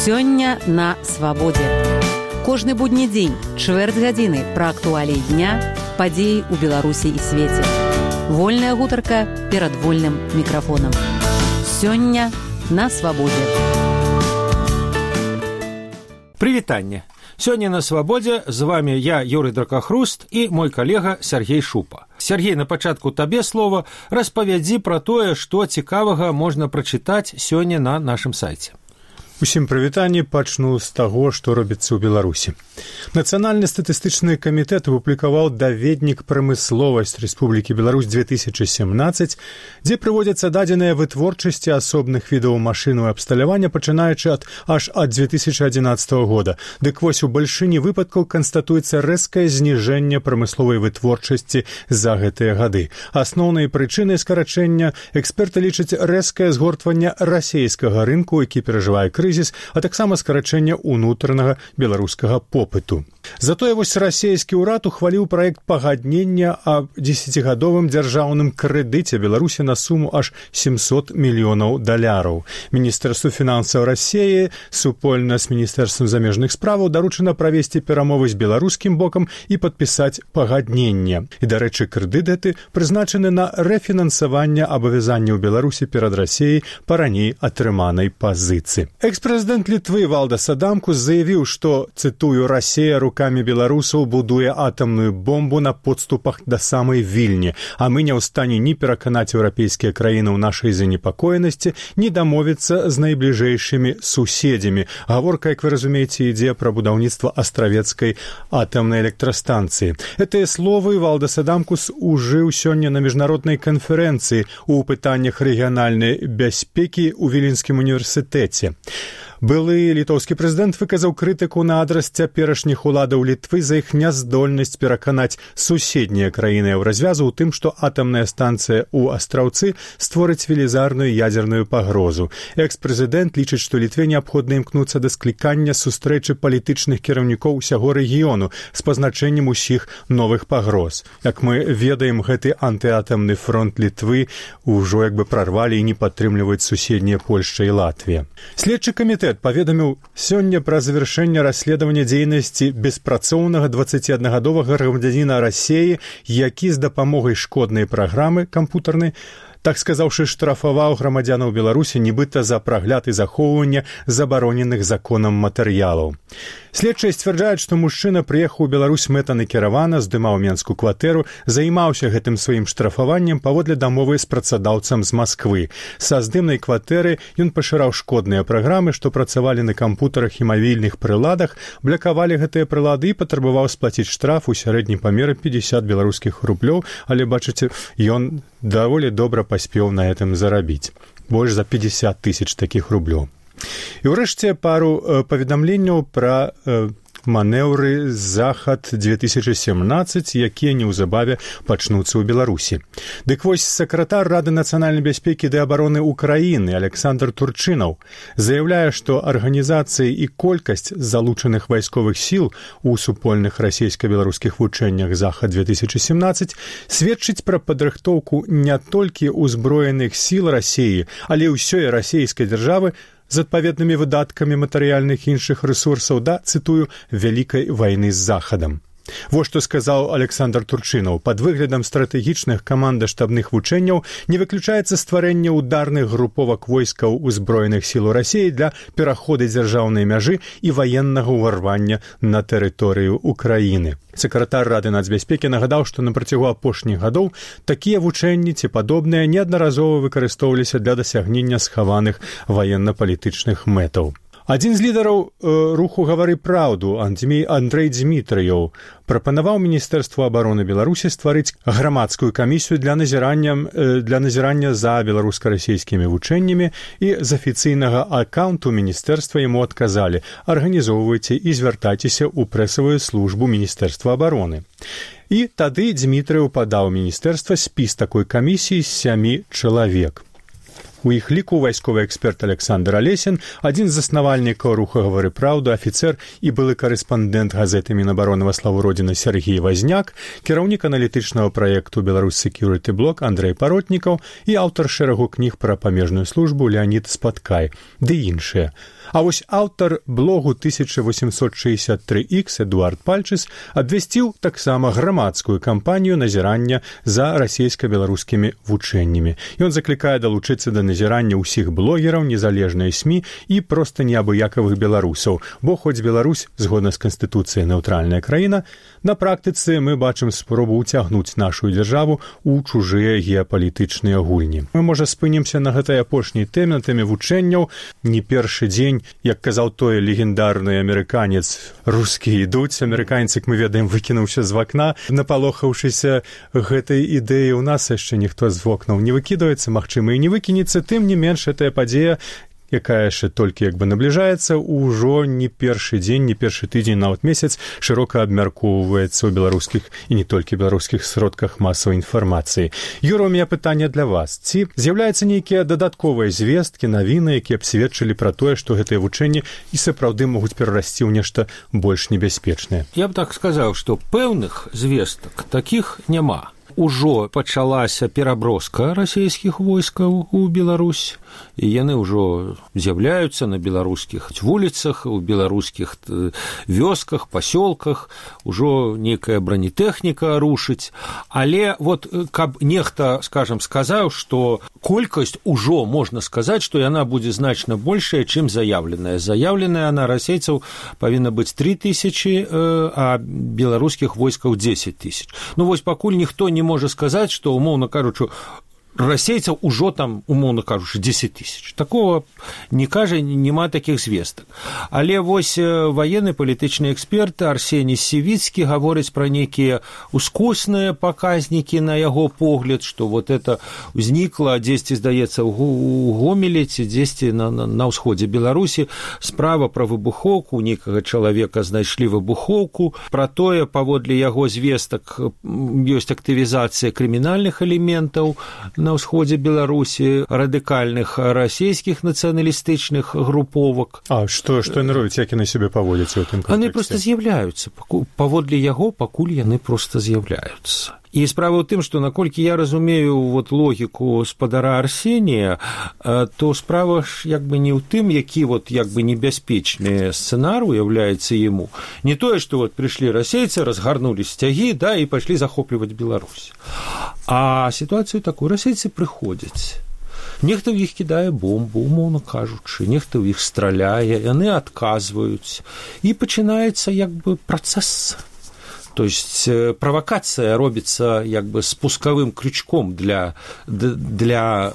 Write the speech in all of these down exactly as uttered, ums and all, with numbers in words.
Сёння на свабодзе. Кожны будні дзень, чвэрць гадзіны пра актуаліі дня, падзеі ў Беларусі і свеце. Вольная гутарка перад вольным мікрафонам. Сёння на свабодзе. Прывітанне. Сёння на свабодзе з вами я, Юрый Дракахруст, і мой калега Сергей Шупа. Сергей, на пачатку табе слова, распавядзі пра тое, што цікавага можна прачытаць сёння на нашым сайце. Усім прывітанне, пачну з таго, што робіцца ў Беларусі. Нацыянальны статыстычны камітэт апублікаваў даведнік прамысловасць Рэспублікі Беларусь две тысячи семнадцать, дзе прыводзяцца дадзеныя вытворчасці асобных відаў машын і абсталявання, пачынаючы ад аж ад две тысячи одиннадцатого года. Дык вось у бальшыні выпадкаў канстатуецца рэзкае зніжэнне прамысловай вытворчасці за гэтыя гады. Асноўнай прычынай скарачэння эксперты лічаць рэзкае згортванне расейскага рынку, які перажывае крызіс, крызіс, а таксама скарачэнне ўнутранага беларускага попыту. Затое вось расійскі ўрад ухваліў праект пагаднення аб дзесяцігадовым дзяржаўным крэдыце Беларусі на суму аж семьсот мільёнаў даляраў. Міністэрству фінансаў Расіі супольна з Міністэрствам замежных справаў даручана правесці перамовы з беларускім бокам і падпісаць пагадненне. І, дарэчы, крэдыт гэты прызначаны на рэфінансаванне абавязанняў Беларусі перад Расіяй па раней атрыманай пазіцыі. Экс-прэзідэнт Літвы Валдас Адамкус заявіў, што, цытую, «Расія рукамі беларусаў будуе атамную бомбу на подступах да самай Вільні, а мы не ў стане ні пераканаць еўрапейскія краіны ў нашай занепакоенасці, ні дамовіцца з найбліжэйшымі суседзямі». Гаворка, як вы разумееце, ідзе пра будаўніцтва астравецкай атамнай электрастанцыі. Гэтыя словы Валдас Адамкус ужыў сёння на міжнароднай канферэнцыі ў пытаннях рэгіянальнай бяспекі ў Віленскім універсітэце. Былы літоўскі прэзідэнт выказаў крытыку на адрас цяперашніх уладаў Літвы за іх няздольнасць пераканаць суседнія краіны ў развязу ў тым, што атамная станцыя ў Астраўцы створыць велізарную ядзерную пагрозу. Экс-прэзідэнт лічыць, што Літве неабходна імкнуцца да склікання сустрэчы палітычных кіраўнікоў усяго рэгіёну з пазначэннем усіх новых пагроз. Як мы ведаем, гэты антыатамны фронт Літвы ўжо як бы прарвалі і не падтрымліваюць суседнія Польшча і Латвія. Следчы камітэт паведаміў сёння пра завяршэнне расследавання дзейнасці беспрацоўнага дваццаціаднагадовага грамадзяніна Расіі, які з дапамогай шкоднай праграмы кампутарнай, так сказаўшы, штрафаваў грамадзянаў Беларусі нібыта за прагляд і захоўванне забароненых законам матэрыялаў. Следчыя сцвярджаюць, што мужчына прыехаў у Беларусь мэтанакіравана, здымаў менскую кватэру, займаўся гэтым сваім штрафаваннем паводле дамовы з працадаўцам з Масквы. Са здымнай кватэры ён пашыраў шкодныя праграмы, што працавалі на кампутарах і мабільных прыладах, блякавалі гэтыя прылады і патрабаваў сплаціць штраф у сярэднім памеры пятьдесят беларускіх рублёў, але, бачыце, ён даволі добра паспеў на гэтым зарабіць. Больш за пятьдесят тысяч такіх рублёў. І ўрэшце пару э, паведамленняў пра э, манеўры «Захад две тысячи семнадцать», якія неўзабаве пачнуцца ў Беларусі. Дык вось сакратар Рады нацыянальнай бяспекі ды абароны Украіны Александр Турчынаў заяўляе, што арганізацыі і колькасць залучаных вайсковых сіл у супольных расійска-беларускіх вучэннях «Захад две тысячи семнадцать» сведчыць пра падрыхтоўку не толькі ўзброеных сіл Расіі, але ўсёй расійскай дзяржавы з адпаведнымі выдаткамі матэрыяльных іншых рэсурсаў да, цытую, «вялікай вайны з Захадам». Вось што сказаў Александр Турчынаў. Пад выглядам стратэгічных каманда-штабных вучэнняў не выключаецца стварэнне ударных груповак войскаў узброеных сіл Расіі для пераходу дзяржаўнай мяжы і ваеннага ўварвання на тэрыторыю Украіны. Сакратар Рады нацбяспекі нагадаў, што на працягу апошніх гадоў такія вучэнні ці падобныя неаднаразова выкарыстоўваліся для дасягнення схаваных ваенна-палітычных мэтаў. Адзін з лідараў э, руху «Гавары праўду» Андрэй Дзмітрыяў прапанаваў Міністэрству абароны Беларусі стварыць грамадскую камісію для назірання, э, для назірання за беларуска-расійскімі вучэннямі, і з афіцыйнага акаунту міністэрства яму адказалі: арганізоўвайце і звяртайцеся ў прэсавую службу Міністэрства абароны. І тады Дзмітрыяў падаў міністэрства спіс такой камісіі з сямі чалавек. У іх ліку вайсковы эксперт Александр Алесін, адзін з заснавальнікаў руха «Гавары праўду», афіцэр і былы карэспандэнт газеты Мінабароны «Во славу Родзіны» Сергей Вазняк, кіраўнік аналітычнага праекту «Беларусь Security Block» Андрэй Паротнікаў і аўтар шэрагу кніг пра памежную службу Леонід Спаткай, ды іншыя. А вось аўтар блогу тысяча восемьсот шестьдесят три икс Эдуард Пальчыс абвясціў таксама грамадскую кампанію назірання за расійска-беларускімі вучэннямі. Ён заклікае далучыцца да назірання ўсіх блогераў, незалежныя СМІ і проста неабыякавых беларусаў, бо хоць Беларусь, згодна з Канстытуцыяй, нейтральная краіна, на практыцы мы бачым спробу ўцягнуць нашу дзяржаву ў чужыя геапалітычныя гульні. Мы, можа, спынімся на гэтай апошняй тэме, на тэме вучэнняў. Не першы дзень, як казаў той легендарны амерыканец, русскія ідуць, амерыканец, як мы ведаем, выкінуўся з вакна, напалохаўшыся гэтай ідэі. У нас яшчэ ніхто з вокнаў не выкідваецца, магчыма, і не выкінецца. Тым не менш, гэтая падзея, якая яшчэ толькі як бы набліжаецца, ўжо не першы дзень, не першы тыдзень, нават месяц шырока абмяркоўваецца ў беларускіх і не толькі беларускіх сродках масавай інфармацыі. Юра, у меня пытанне для вас. Ці з'яўляюцца нейкія дадатковыя звесткі, навіны, якія б сведчылі пра тое, што гэтыя вучэнні і сапраўды могуць перарасці ў нешта больш небяспечнае? Я б так сказаў, што пэўных звестак такіх няма. Ужо пачалася пераброска расійскіх войскаў у Беларусь, і яны ўжо з'яўляюцца на беларускіх вуліцах, у беларускіх вёсках, пасёлках, ужо некая бронетэхніка рушыць. Але вот каб нехта, скажам, сказаў, што колькасць ужо можна сказаць, што яна будзе значна большая, чым заяўленая. Заяўленая на расейцаў павінна быць тры тысячы, а беларускіх войскаў дзесяць тысяч. Ну вось пакуль ніхто не можа сказаць, што, умоўна кажучы, расейцаў ужо там, умоўна кажучы, дзесяць тысяч. Такого не кажа, няма такіх звестак. Але вось ваенны палітычны эксперт Арсеній Сівіцкі гаворыць пра нейкія ускосныя паказнікі на яго погляд, што вот это ўзнікла дзесьці, здаецца, у Гомелі ці дзесьці на, на, на ўсходзе Беларусі справа пра выбухоўку, нейкага чалавека знайшлі выбухоўку, пра тое, паводле яго звестак, ёсць актывізацыя крымінальных элементаў на ўсходзе Беларусі, радыкальных расійскіх нацыяналістычных груповак. А што, што яны робяць, як яны сябе паводзяць у тым кантэксце? Яны проста з'яўляюцца. Паводле яго пакуль яны проста з'яўляюцца. І справа ў тым, што наколькі я разумею вот логіку спадара Арсенія, то справа ж як бы не ў тым, які вот як бы небяспечны сцэнар уяўляецца яму. Не тое, што вот прыйшлі расейцы, разгарнулі сцягі, да, і пайшлі захопліваць Беларусь. А сітуацыю такую, расейцы прыходзяць. Нехта ў іх кідае бомбу, умоўна кажучы, нехта ў іх страляе, яны адказваюць. І пачынаецца як бы працэс. То есть провокация робится як бы спусковым крючком для, для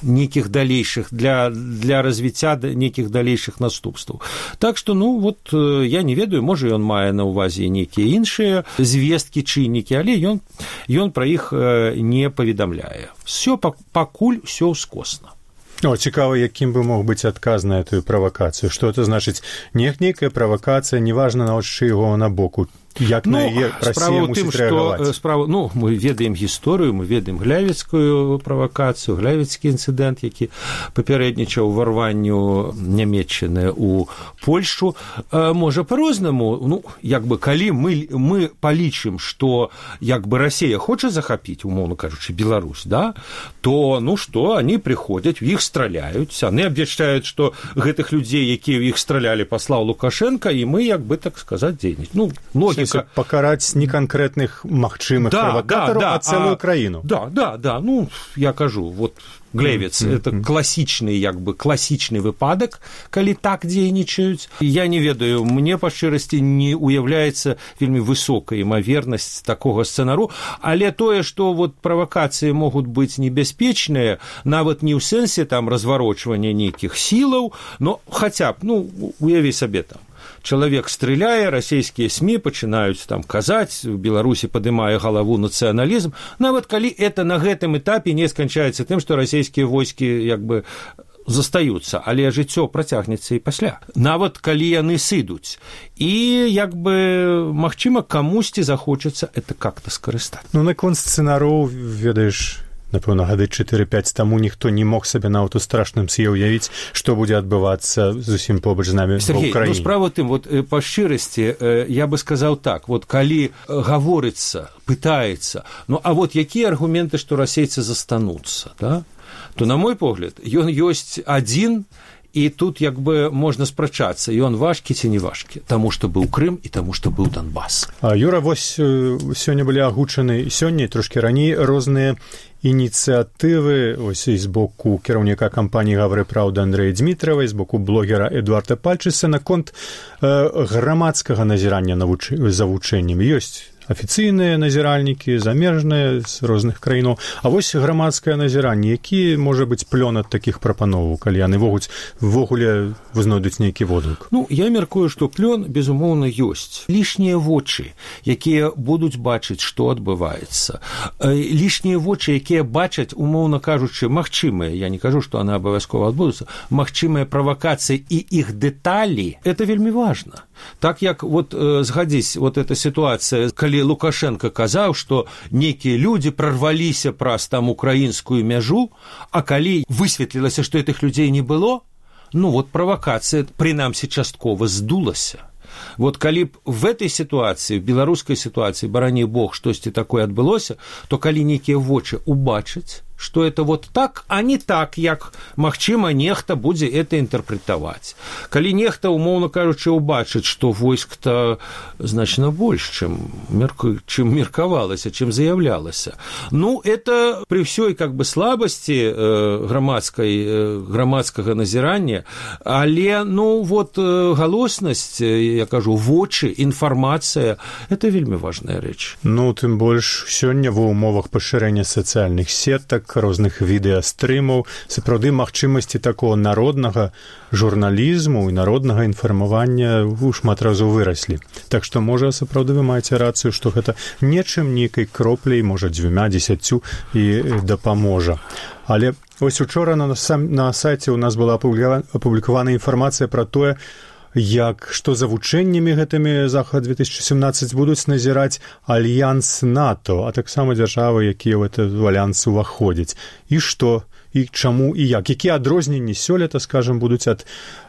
неких дальнейших, для, для развития неких дальнейших наступстваў. Так что, ну, вот я не ведаю, можа, ён мае на ўвазе некія іншыя звесткі, чыннікі, але ён, ён пра іх не паведамляе. Всё, пакуль всё ўскосна. О, цікава, якім бы мог быць адказ на эту правакацыю. Што это значыць? Не нейкая правакацыя, неважна, нават чыйго на боку. Як ну, на яе Расія мусіць рэагаваць? Справа, ну, мы ведаем гісторыю, мы ведаем глявіцкую правакацыю, глявіцкі інцыдэнт, які папярэднічаў уварванню Нямецчыны ў Польшчу. Можа, па-рознаму, ну, як бы, калі мы, мы палічым, што як бы Расія хоча захапіць, умоўна кажучы, Беларусь, да, то, ну, што, они прыходзяць, у іх страляюць, они абвяшчаюць, што гэтых людзей, якія ў іх стралялі, паслаў Лукашенко, і мы, як бы, так сказаць, дзейнічаць. Ну, логіка. Пакараць не канкрэтных магчымых да, правакатараў, да, да, а цэлую а, краіну. Да, да, да, ну, я кажу, вот Глевец, mm-hmm. это класічны, як бы, класічны выпадак, калі так дзейнічаюць. Я не ведаю, мне, па шчырасці, не уяўляецца вельмі высокая імавернасць такога сцэнару, але тое, што вот правакацыі могуць быць небяспечныя, нават не ў сэнсе там разварочвання нейкіх сілаў, но хаця б, ну, уяві сабе там, чалавек стреляе, расійскія СМІ пачынаюць там казаць, у Беларусі падымае галаву нацыяналізм, нават калі это на гэтым этапе не сканчаецца тым, што расійскія войскі як бы застаюцца, але жыццё працягнецца і пасля. Нават калі яны сыдуць. І як бы магчыма камусьці захочацца это как-то скарыстаць. Ну наконт сцэнароў, ведаеш, напэўна, гады чатыры-пяць таму ніхто не мог сабе нават у страшным сне ўявіць, што будзе адбывацца зусім побач з намі ва ўкраіне. Ну, справа тым, вот па шчырасці я бы сказаў так, вот калі гаворыцца, пытаецца, ну а вот якія аргументы, што расейцы застануцца, да? То на мой погляд, ён ёсць адзін, і тут як бы можна спрачацца, ён важкі ці не важкі, таму што быў Крым і таму што быў Донбас. А Юра, вось сёння былі агучаны сёння і трошкі раней розныя ініцыятывы ось і з боку кіраўніка кампаніі «Гавры праўда» Андрэя Дзмітравай, з боку блогера Эдуарда Пальчыса наконт э, грамадскага назірання навуч... за вучэннямі. Ёсць афіцыйныя назіральнікі, замежныя з розных краінаў. А вось грамадскае назіранне, які можа быць плён ад такіх прапановаў, калі яны могуць ввогуле вызнойдуць нейкі водгук? Ну, я мяркую, што плён, безумоўна, ёсць. Лішнія вочы, якія будуць бачыць, што адбываецца. Лішнія вочы, якія бачаць, умоўна кажучы, магчымыя, я не кажу, што яны абавязкова адбудуцца, магчымыя правакацыі і іх дэталі, это вельмі важна. Так як, вот, э, згадзіць, вот эта сітуацыя, калі Лукашенко казаў, што нейкія людзі прарваліся праз там украінскую мяжу, а калі высветлілася, што гэтых людзей не было, ну, вот правакацыя, прынамсі, часткова здулася. Вот калі б в этой ситуации, в беларускай ситуации, барані Бог, штосьці такое адбылося, то калі нейкія вочы убачаць, што это вот так, а не так, як, магчыма, нехта будзе это інтэрпрэтаваць. Калі нехта, умоўна кажучы, убачыць, што войск-то значна больш, чым, мерку... чым меркавалася, чым заяўлялася. Ну, это при всёй как бы слабасці э, грамадскай, э, грамадскага назірання, але, ну, вот э, галоснасць, я кажу, вочы, інфармацыя, это вельмі важная рэч. Ну, тым больш, сёння ва ўмовах пашырэння сацыяльных сетак, розных відэастрымаў, сапраўды магчымасці такого народнага журналізму і народнага інфармавання шмат разоў выраслі. Так што, можа, сапраўды вы маеце рацыю, што гэта нечым нейкай кропляй, можа, дзвюма, дзесяццю і дапаможа. Але вось учора на, на сайце ў нас была апублікавана інфармацыя пра тое, як што за вучэннямі гэтымі захад две тысячи семнадцать будуць назіраць альянс НАТО, а таксама дзяржавы, якія ў гэты альянс уваходзяць. І што? І чаму і як? Якія адрозненні сёлета, скажам, будуць ад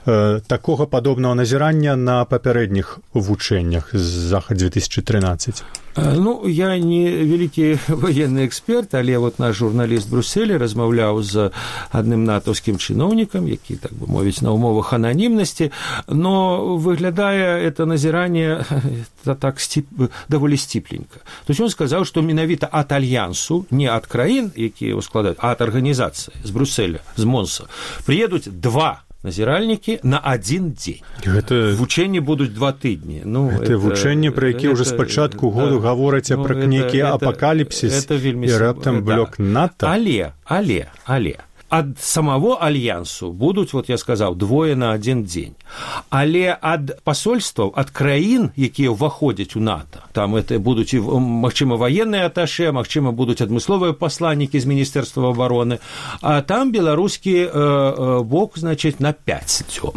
э, такога падобнага назірання на папярэдніх вучэннях з захад две тысячи тринадцать? Ну, я не вялікі военны эксперт, але вот наш журналіст Брюсселі размаўляў з адным натаўскім чыноўнікам, які, так бы мовіць, на умовах ананімнасці, но выглядае это назіранне так стип, даволі сціпленька. То есть он сказаў, што менавіта ад альянсу, не ад краін, якія его складаюць, а ад арганізацыі з Брюсселя, з Монса, приедуць два назіральнікі на адзін дзень. Гэта... Вучэнні будуць два тыдні. Ну, гэта вучэнні, пра якія ўжо спачатку году да, гавораць ну, пра нейкі апакаліпсіс і раптам блок НАТО. Але, але, але, ад самого альянсу будуць, вот я сказаў, двое на адзін дзень. Але ад пасольстваў, ад краін, якія ўваходзяць у НАТО, там это будуць, магчыма, военныя аташе, магчыма, будуць адмысловыя пасланнікі з Міністэрства абароны, а там беларускі э, э, бок, значыць, на пяць дзён.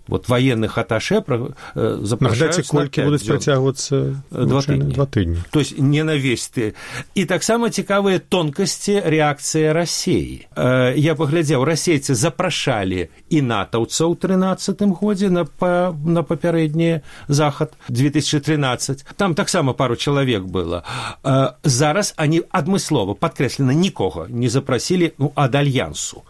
Вот военных аташе э, запрашаюць на колькі будуць працягвацца два тыдні. Два тыдні. То есть не на весь ты. І таксама цікавыя тонкасці рэакцыі Расіі. Э, я паглядзеў, расейцы запрашалі і натаўцаў у трынаццатым годзе на, па, на папярэдні захад две тысячи тринадцать. Там таксама пару чалавек было. Э, зараз они адмыслова, падкрэслена, нікога не запрасілі, ну, ад альянсу.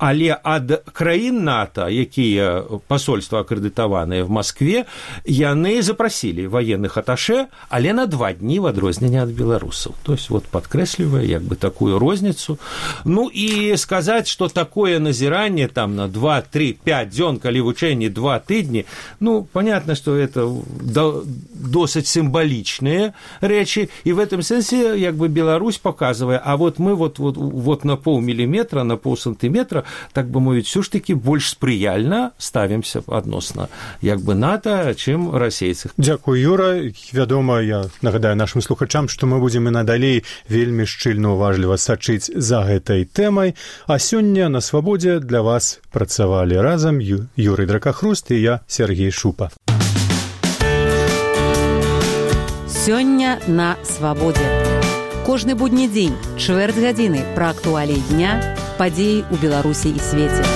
Але ад краін НАТО, якія пасольствы акрэдытаваныя в Москве, яны запрасілі военных аташе, але на два дні в адрозненне ад беларусаў. То есть вот падкрэслівае як бы такую розніцу. Ну і сказаць, што такое назіранне там на два, три, пять дзён, калі вучэнні два тыдні, ну, понятно, что это досыць сімвалічныя рэчы, і в этом сэнсе як бы Беларусь показывае, а вот мы вот, вот, вот на полміліметра, на полсантиметра, так бы мовіць, все ж таки больш спрыяльна ставімся адносна як бы НАТО, чым расейцах. Дзякуй, Юра. Вядома, я нагадаю нашим слухачам, што мы будзем і надалей вельмі шчыльна уважліва сачыць за гэтай тэмай, а сёння на Свабодзе для вас працавалі разам Ю... Юрый Дракахруст і я, Сергей Шупа. Сёння на Свабодзе. Кожны будні дзень, чвэрць гадзіны пра актуаліі дня, падзеі ў Беларусі і свеце.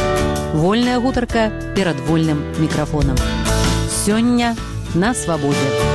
Вольная гутарка перад вольным мікрафонам. Сёння на Свабодзе.